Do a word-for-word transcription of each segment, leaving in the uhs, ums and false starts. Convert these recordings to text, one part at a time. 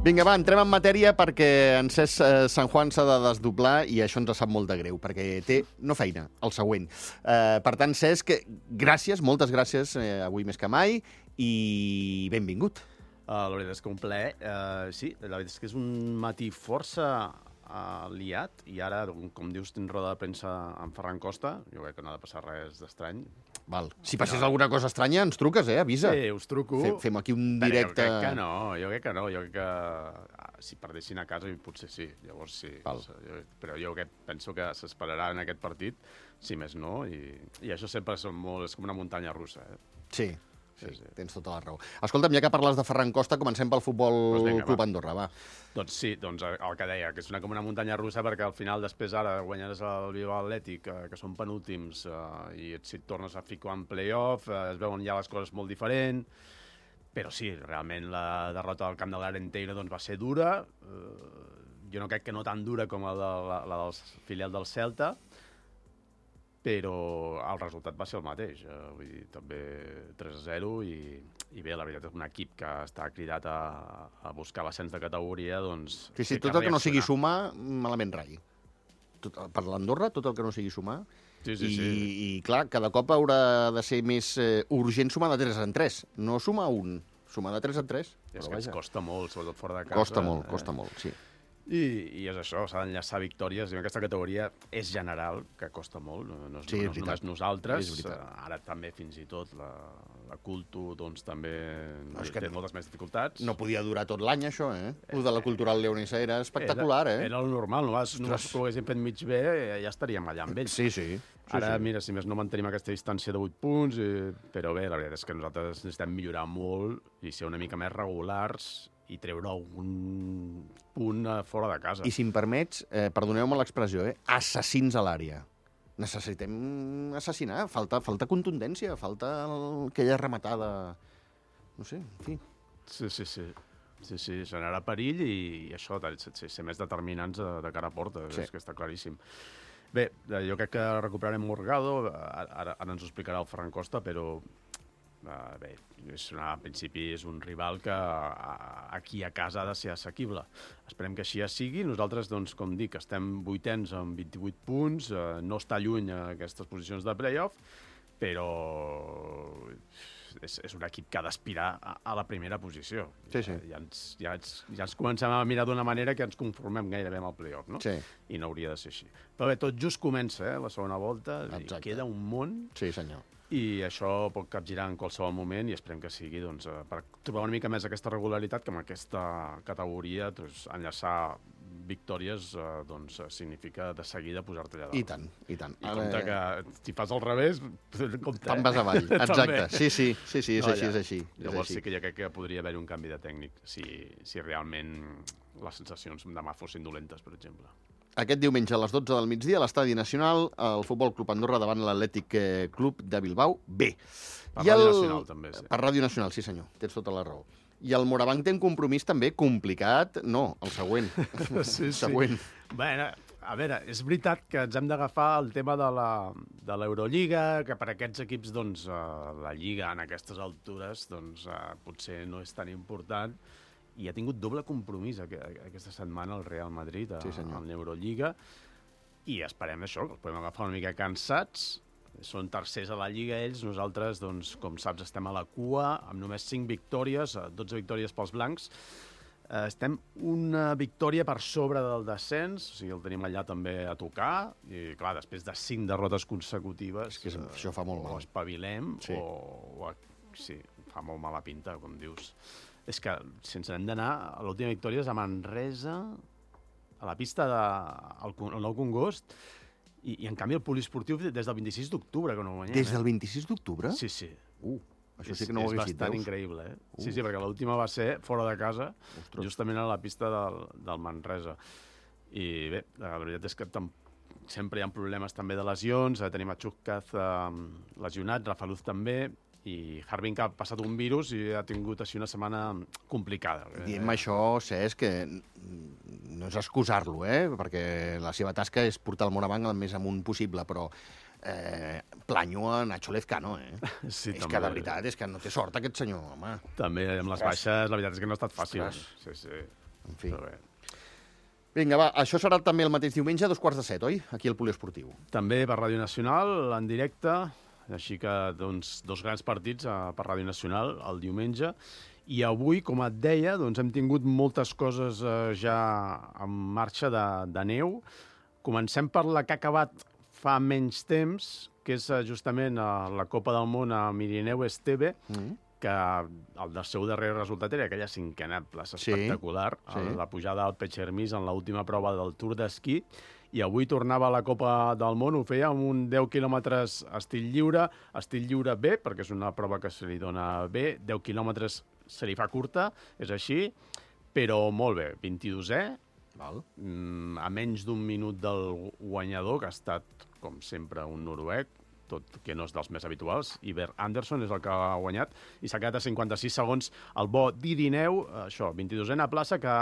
Vinga, va, entrem en matèria perquè en Cesc eh, San Juan s'ha de desdoblar i això ens sap molt de greu, perquè té, no feina, el següent. Eh, per tant, Cesc, gràcies, moltes gràcies, eh, avui més que mai, i benvingut. Uh, la veritat és que un plaer. Uh, sí, la veritat és que és un matí força uh, liat, i ara, com dius, tens roda de premsa amb Ferran Costa. Jo crec que no ha de passar res d'estrany. Val. Si passés no. alguna cosa estranya, ens truques, eh? Avisa. Sí, us truco. Fem, fem aquí un directe... Però jo crec que no, jo crec que no. Jo crec que si perdessin a casa, potser sí. Llavors sí. Val. Però jo que penso que s'esperarà en aquest partit, si més no, i, i això sempre és, molt, és com una muntanya russa. Eh? Sí. Sí, sí, tens tota la raó. Escolta'm, ja que parles de Ferran Costa, comencem pel Futbol pues vinga, Club va. Andorra, va. Doncs sí, doncs el que deia, que és una, com una muntanya russa, perquè al final després ara guanyaràs el Bilbao Atlètic, eh, que són penúltims, eh, i si et tornes a ficar en play-off, eh, es veuen ja les coses molt diferent, però sí, realment la derrota del camp de l'Arenteiro doncs, va ser dura, eh, jo no crec que no tan dura com la, de, la, la del filial del Celta, però el resultat va ser el mateix. Eh, vull dir, també tres a zero i, i bé, la veritat és un equip que està cridat a, a buscar l'ascens de categoria, doncs... Sí, sí, tot el que no sigui sumar, malament rai. Tot, per l'Andorra, tot el que no sigui sumar. Sí, sí, I, sí. I, clar, cada cop haurà de ser més eh, urgent sumar de tres en tres. No sumar un, sumar de tres en tres. És que ens costa molt, sobretot fora de casa. Costa molt, eh? costa molt, sí. I, i és això, s'ha d'enllaçar victòries. I aquesta categoria és general, que costa molt, no, no, sí, no és només nosaltres. És ara també, fins i tot, la, la Culto doncs, també no, és que té no, moltes més dificultats. No podia durar tot l'any, això, eh? El de la Cultural Leonesa era espectacular, era, eh? Era el normal, només, només que ho haguéssim fet mig bé, ja estaríem allà amb ells. Sí, sí. sí ara, sí. mira, si més no mantenim aquesta distància de vuit punts, i, però bé, la veritat és que nosaltres necessitem millorar molt i ser una mica més regulars i treure algun punt fora de casa. I si em permets, eh, perdoneu-me l'expressió, eh? Assassins a l'àrea. Necessitem assassinar, falta, falta contundència, falta el, aquella rematada... No sé, en fi. Sí, sí, sí. Sí, sí, generar perill i, i això, ser, ser més determinants de, de cara a porta, sí. És que està claríssim. Bé, jo crec que recuperarem Morgado, ara, ara ens ho explicarà el Ferran Costa, però Uh, bé, és una, en principi és un rival que uh, aquí a casa ha de ser assequible. Esperem que així ja sigui. Nosaltres, doncs, com dic, estem vuitens amb vint-i-vuit punts, uh, no està lluny a aquestes posicions de play-off, però és, és un equip que ha d'aspirar a, a la primera posició. Sí, sí. Ja, ja, ens, ja, ens, ja ens comencem a mirar d'una manera que ens conformem gairebé amb el play-off, no? Sí. I no hauria de ser així. Però bé, tot just comença, eh, la segona volta, i queda un món. Sí, senyor. I això pot capgirar en qualsevol moment i esperem que sigui doncs, per trobar una mica més aquesta regularitat que amb aquesta categoria doncs, enllaçar victòries eh, doncs, significa de seguida posar-te allà dalt. I tant, i tant. I compte que si fas al revés, compte. Te'n vas avall, exacte. Sí, sí, sí, sí, és no, així, ja. és així. Llavors és així. sí que jo crec que podria haver-hi un canvi de tècnic si, si realment les sensacions demà fossin dolentes, per exemple. Aquest diumenge a les dotze del migdia a l'Estadi Nacional, el Futbol Club Andorra davant l'Atlètic Club de Bilbao B. Per Ràdio Nacional, també, sí. Per Ràdio Nacional, sí senyor, tens tota la raó. I el Morabanc té un compromís també complicat, no, el següent. Sí, sí. següent. Bé, a veure, és veritat que ens hem d'agafar el tema de la, de l'Eurolliga, que per aquests equips, doncs, la Lliga en aquestes altures, doncs, potser no és tan important, i ha tingut doble compromís aquesta setmana el Real Madrid a, sí, a l'Eurolliga, i esperem això, que els podem agafar una mica cansats. Són tercers a la Lliga ells, nosaltres, doncs, com saps, estem a la cua, amb només cinc victòries, dotze victòries pels blancs. Estem una victòria per sobre del descens, o sigui, el tenim allà també a tocar, i clar, després de cinc derrotes consecutives... És que això fa molt mal. O espavilem, sí. o, o... Sí, fa molt mala pinta, com dius. És que si ens hem d'anar, l'última victòria és a Manresa, a la pista del de, Nou Congost, i, i en canvi el poliesportiu des del vint-i-sis d'octubre que no guanyem. Des del vint-i-sis d'octubre? Sí, sí. Uh, això sí que no ho hagués dit, veus? És bastant increïble, eh? Uh. Sí, sí, perquè l'última va ser fora de casa, Ostres. justament a la pista del, del Manresa. I bé, la veritat és que tam sempre hi ha problemes també de lesions, tenim a Chukaz eh, lesionat, Rafaluz també, i Harbin que ha passat un virus i ha tingut així una setmana complicada. Diem eh? això, Cesc, que no és excusar-lo, eh? Perquè la seva tasca és portar el Morabanc el més amunt possible, però eh, planyo a Nacho Lezcano, eh? Sí, és també. que, de veritat, és que no té sort aquest senyor, home. També, amb les baixes, la veritat és que no ha estat fàcil. Ostres. Sí, sí. En fi. Però bé. Vinga, va, això serà també el mateix diumenge, a dos quarts de set, oi? Aquí al Poliesportiu. També per Ràdio Nacional, en directe, així que doncs, dos grans partits eh, per Ràdio Nacional el diumenge. I avui, com et deia, doncs, hem tingut moltes coses eh, ja en marxa de, de neu. Comencem per la que ha acabat fa menys temps, que és eh, justament eh, la Copa del Món a Mirineu Esteve, mm. que el del seu darrer resultat era aquella cinquena plaça espectacular, sí, sí. La pujada al Peixermís en l'última prova del Tour d'Esquí, i avui tornava a la Copa del Món, ho feia amb un deu quilòmetres estil lliure, estil lliure B, perquè és una prova que se li dona B, deu quilòmetres se li fa curta, és així, però molt bé, vint-i-dosè, Val. a menys d'un minut del guanyador, que ha estat, com sempre, un noruec, tot que no és dels més habituals. Iver Anderson és el que ha guanyat i s'ha quedat a cinquanta-sis segons el bo d'Irineu, això, vint-i-dosena plaça, que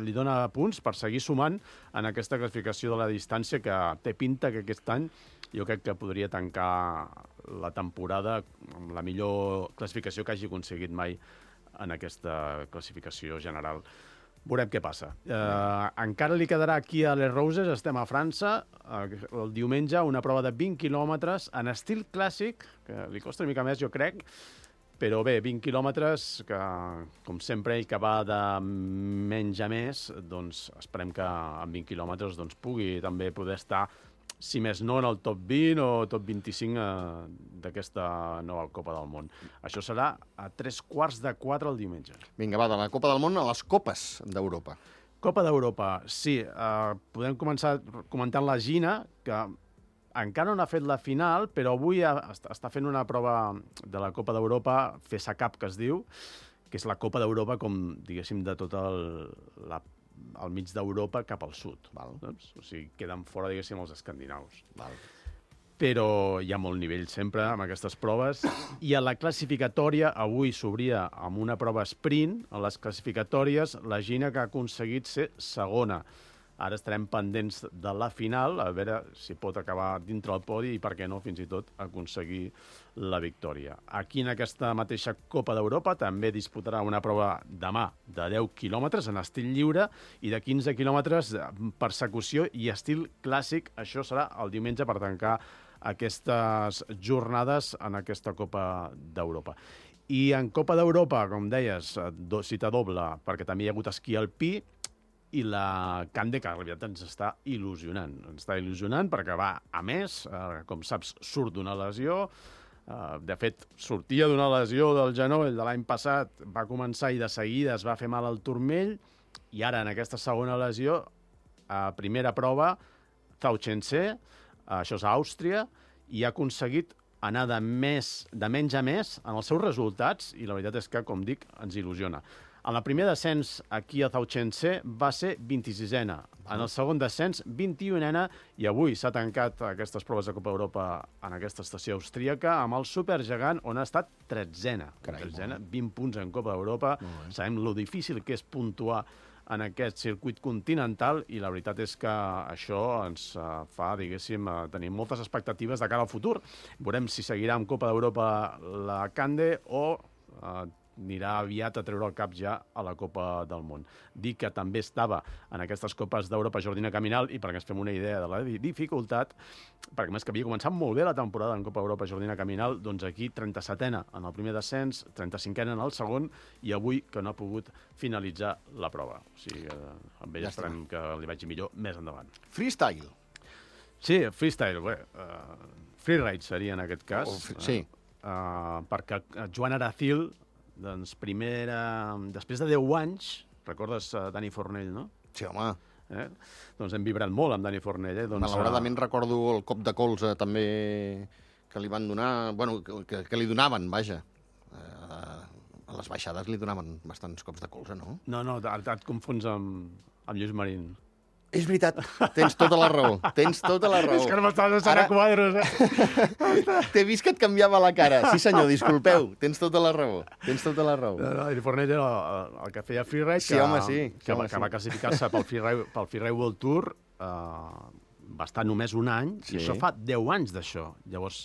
li dona punts per seguir sumant en aquesta classificació de la distància, que té pinta que aquest any jo crec que podria tancar la temporada amb la millor classificació que hagi aconseguit mai en aquesta classificació general. Veurem què passa. Eh, encara li quedarà aquí a Les Roses, estem a França, eh, el diumenge, una prova de vint quilòmetres en estil clàssic, que li costa una mica més, jo crec, però bé, vint quilòmetres, que com sempre ell que va de menys a més, doncs esperem que en vint quilòmetres doncs, pugui també poder estar, si més no, en el top vint o top vint-i-cinc eh, d'aquesta nova Copa del Món. Això serà a tres quarts de quatre el diumenge. Vinga, va, de la Copa del Món a les Copes d'Europa. Copa d'Europa, sí. Eh, podem començar comentant la Gina, que encara no ha fet la final, però avui ha, està fent una prova de la Copa d'Europa, FESA Cup, que es diu, que és la Copa d'Europa, com, diguéssim, de tota el, la al mig d'Europa cap al sud. Val. Doncs? O sigui, queden fora, diguéssim, els escandinaus. Val. Però hi ha molt nivell sempre amb aquestes proves. I a la classificatòria, avui s'obria amb una prova sprint. A les classificatòries, la Gina que ha aconseguit ser segona. Ara estarem pendents de la final, a veure si pot acabar dintre el podi i, per què no, fins i tot aconseguir la victòria. Aquí, en aquesta mateixa Copa d'Europa, també disputarà una prova demà de deu quilòmetres en estil lliure i de quinze quilòmetres persecució i estil clàssic. Això serà el diumenge per tancar aquestes jornades en aquesta Copa d'Europa. I en Copa d'Europa, com deies, cita doble, perquè també hi ha hagut esquí alpí, i la Cande, que en realitat ens està il·lusionant. Ens està il·lusionant perquè va a més, eh, com saps, surt d'una lesió. Eh, de fet, sortia d'una lesió del genoll de l'any passat, va començar i de seguida es va fer mal al turmell, i ara en aquesta segona lesió, a primera prova, Zauchense, això és a Àustria, i ha aconseguit anar de, més, de menys a més en els seus resultats, i la veritat és que, com dic, ens il·lusiona. En el primer descens aquí a Zauchense va ser vint-i-sisena. En el segon descens, vint-i-unena, i avui s'ha tancat aquestes proves de Copa Europa en aquesta estació austríaca amb el supergegant, on ha estat tretzena. Carai, tretzena, vint punts en Copa d'Europa. Sabem lo difícil que és puntuar en aquest circuit continental, i la veritat és que això ens fa, diguéssim, tenir moltes expectatives de cara al futur. Veurem si seguirà amb Copa d'Europa la Cande o eh, anirà aviat a treure el cap ja a la Copa del Món. Dic que també estava en aquestes Copes d'Europa Jordina Caminal, i perquè ens fem una idea de la dificultat, perquè més que havia començat molt bé la temporada en Copa Europa Jordina Caminal, doncs aquí trenta-setena en el primer descens, trenta-cinquena en el segon, i avui que no ha pogut finalitzar la prova. O sigui, eh, amb ell ja esperem que li vagi millor més endavant. Freestyle. Sí, freestyle, bé. Uh, freeride seria en aquest cas. Oh, sí. Uh, perquè Joan Aracil, doncs, primera... Després de deu anys, recordes uh, Dani Fornell, no? Sí, home. Eh? Doncs hem vibrat molt amb Dani Fornell. Eh? Doncs, malauradament uh... recordo el cop de colze també que li van donar... Bueno, que, que li donaven, vaja. Uh, a les baixades li donaven bastants cops de colze, no? No, no, et, et confons amb, amb Lluís Marín. És veritat, tens tota la raó, tens tota la raó. És que no m'estàs deixant a quadros, eh? T'he vist que et canviava la cara. Sí, senyor, disculpeu, tens tota la raó, tens tota la raó. No, no, Dani Fornell era el, el que feia freeride, sí, que, home, sí, sí, que, home, que sí. va classificar-se pel Freeride, pel Freeride World Tour, eh, va estar només un any, sí. I això fa deu anys d'això. Llavors,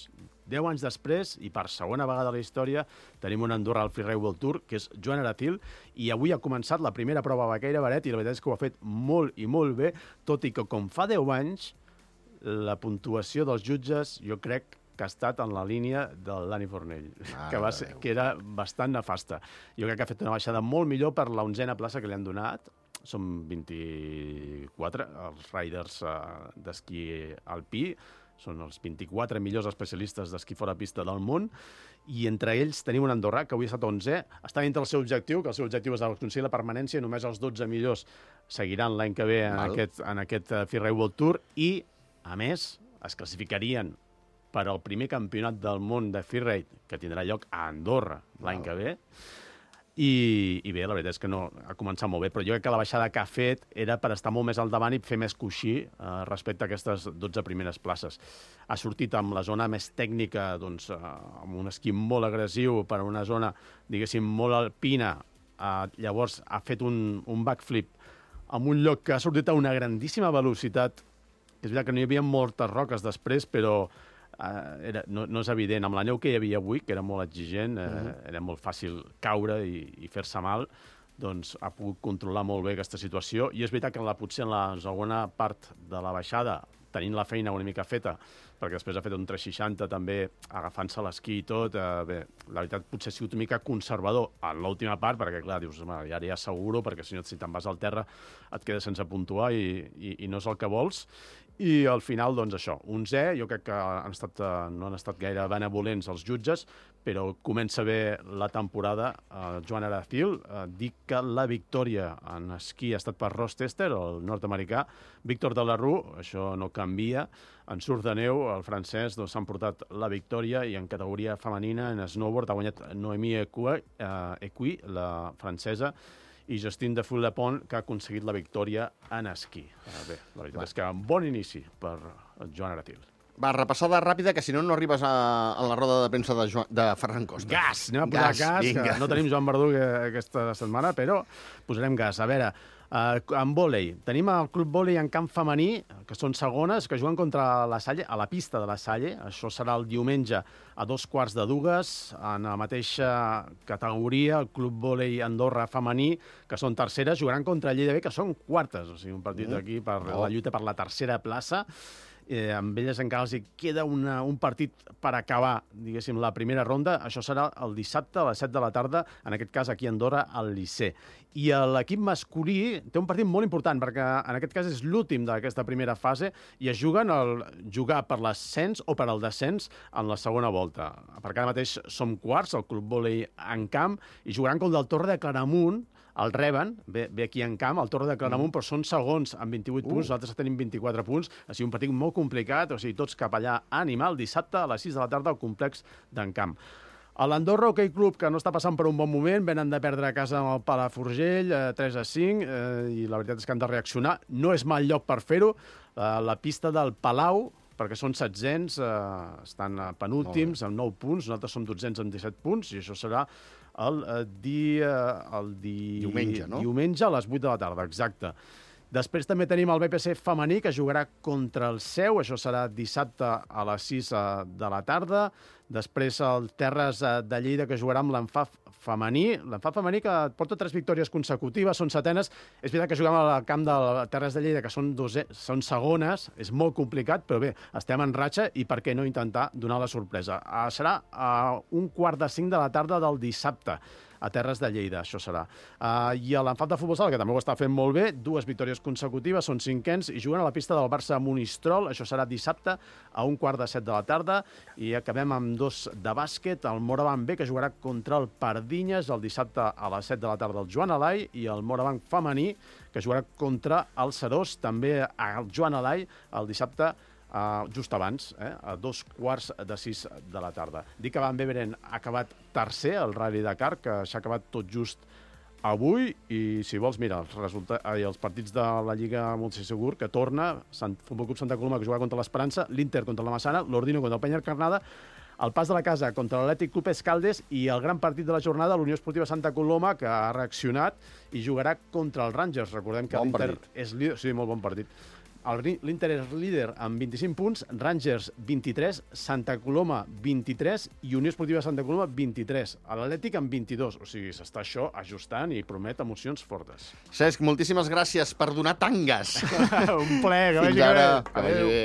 deu anys després, i per segona vegada a la història, tenim un Andorra al Freeride World Tour, que és Joan Aratil, i avui ha començat la primera prova a Baqueira Beret, i la veritat és que ho ha fet molt i molt bé, tot i que com fa deu anys, la puntuació dels jutges, jo crec que ha estat en la línia del Dani Fornell, ah, que, va ser, que era bastant nefasta. Jo crec que ha fet una baixada molt millor per l'onzena plaça que li han donat. Són vint-i-quatre els riders uh, d'esquí alpí, són els vint-i-quatre millors especialistes d'esquí fora pista del món, i entre ells tenim un andorrà que avui ha estat onzè, està dintre el seu objectiu, que el seu objectiu és aconseguir la permanència, només els dotze millors seguiran l'any que ve en Mal. aquest, en aquest uh, Freeride World Tour, i, a més, es classificarien per al primer campionat del món de freeride, que tindrà lloc a Andorra l'any que ve. I, I bé, la veritat és que no, ha començat molt bé, però jo crec que la baixada que ha fet era per estar molt més al davant i fer més coixí eh, respecte a aquestes dotze primeres places. Ha sortit amb la zona més tècnica, doncs, eh, amb un esquí molt agressiu per a una zona, diguéssim, molt alpina. Eh, llavors ha fet un, un backflip en un lloc que ha sortit a una grandíssima velocitat. És veritat que no hi havia moltes roques després, però Uh, era, no, no és evident. Amb la neu que hi havia avui, que era molt exigent, uh, uh-huh. era molt fàcil caure i, i fer-se mal, doncs ha pogut controlar molt bé aquesta situació. I és veritat que en la, potser en la segona part de la baixada, tenint la feina una mica feta, perquè després ha fet un tres seixanta també, agafant-se l'esquí i tot, uh, bé, la veritat potser ha sigut una mica conservador en l'última part, perquè clar, dius, ja ara ja asseguro, perquè si no, si te'n vas al terra et quedes sense puntuar i, i, i no és el que vols. I al final, doncs això, onzè, jo crec que han estat, no han estat gaire benevolents els jutges, però comença bé la temporada. Uh, Joan Aratil uh, dic que la victòria en esquí ha estat per Ross Tester, el nord-americà. Víctor de la Rue, això no canvia. En surf de neu, el francès doncs, s'han portat la victòria, i en categoria femenina, en snowboard, ha guanyat Noémie Écuy, uh, Écuy, la francesa, i Justine de Foulepont, que ha aconseguit la victòria en esquí. Bé, la veritat Va. és que un bon inici per Joan Aratil. Va, repassada ràpida, que si no, no arribes a, a la roda de premsa de, Joan, de Ferran Costa. Gas! Anem a posar gas, gas que no tenim Joan Verdú aquesta setmana, però posarem gas. A veure, uh, en vòlei, tenim el Club Vòlei en camp femení, que són segones, que juguen contra la Salle, a la pista de la Salle. Això serà el diumenge a dos quarts de dues, en la mateixa categoria, el Club Vòlei Andorra femení, que són terceres, jugaran contra Lleida B, que són quartes. O sigui, un partit mm. aquí per oh. la lluita per la tercera plaça. Eh, amb elles encara els queda una, un partit per acabar, diguéssim, la primera ronda. Això serà el dissabte a les set de la tarda, en aquest cas aquí a Andorra, al Liceu. I l'equip masculí té un partit molt important, perquè en aquest cas és l'últim d'aquesta primera fase i es juguen el jugar per l'ascens o per al descens en la segona volta. Perquè ara mateix som quarts, el Club Vòlei en camp, i jugaran contra el Torre de Claramunt. El reben, ve, ve aquí en camp, el Torre de Claramunt, mm. però són segons amb vint-i-vuit uh. punts, nosaltres tenim vint-i-quatre punts. Ha sigut un partit molt complicat, o sigui, tots cap allà a animar, el dissabte a les sis de la tarda al complex d'en Camp. A l'Andorra Hockey Club, que no està passant per un bon moment, venen de perdre a casa amb el Palafrugell, eh, tres a cinc, eh, i la veritat és que han de reaccionar. No és mal lloc per fer-ho. Eh, la pista del Palau, perquè són setzents, eh, estan penúltims amb nou punts, nosaltres som dotzens amb disset punts, i això serà el dia... El di... Diumenge, no? Diumenge a les vuit de la tarda, exacte. Després també tenim el B P C femení, que jugarà contra el Seu, això serà dissabte a les sis de la tarda. Després el Terres de Lleida, que jugarà amb l'Enfaf femení. L'Enfaf femení que porta tres victòries consecutives, són setenes. És veritat que juguem al camp del Terres de Lleida, que són, dose, són segones, és molt complicat, però bé, estem en ratxa i per què no intentar donar la sorpresa. Uh, serà a un quart de cinc de la tarda del dissabte, a Terres de Lleida, això serà. Uh, I a l'Enfaf de futbol sala, que també ho està fent molt bé, dues victòries consecutives, són cinquens, i juguen a la pista del Barça Monistrol, això serà dissabte a un quart de set de la tarda, i acabem amb dos de bàsquet, el Morabanc B, que jugarà contra el Pardinyes el dissabte a les set de la tarda al Joan Alai, i el Morabanc femení, que jugarà contra el Serós, també al Joan Alai, el dissabte Uh, just abans, eh, a dos quarts de sis de la tarda. Dic que Van Beveren ha acabat tercer al Rally Dakar, que s'ha acabat tot just avui, i si vols, mira, els, resulta... Ai, els partits de la Lliga Multisegur, que torna, Sant... Futbol Club Santa Coloma, que jugarà contra l'Esperança, l'Inter contra la Massana, l'Ordino contra el Peña Carnada, el Pas de la Casa contra l'Atlètic Club Escaldes, i el gran partit de la jornada, l'Unió Esportiva Santa Coloma, que ha reaccionat i jugarà contra els Rangers. Recordem que bon l'Inter partit. és líder... Sí, molt bon partit. L'Inter és líder amb vint-i-cinc punts, Rangers vint-i-tres, Santa Coloma vint-i-tres i Unió Esportiva Santa Coloma vint-i-tres. L'Atlètic amb vint-i-dos. O sigui, s'està això ajustant i promet emocions fortes. Cesc, moltíssimes gràcies per donar tangues. Un plaer, que vagi Fins ara. bé. Que vagi bé.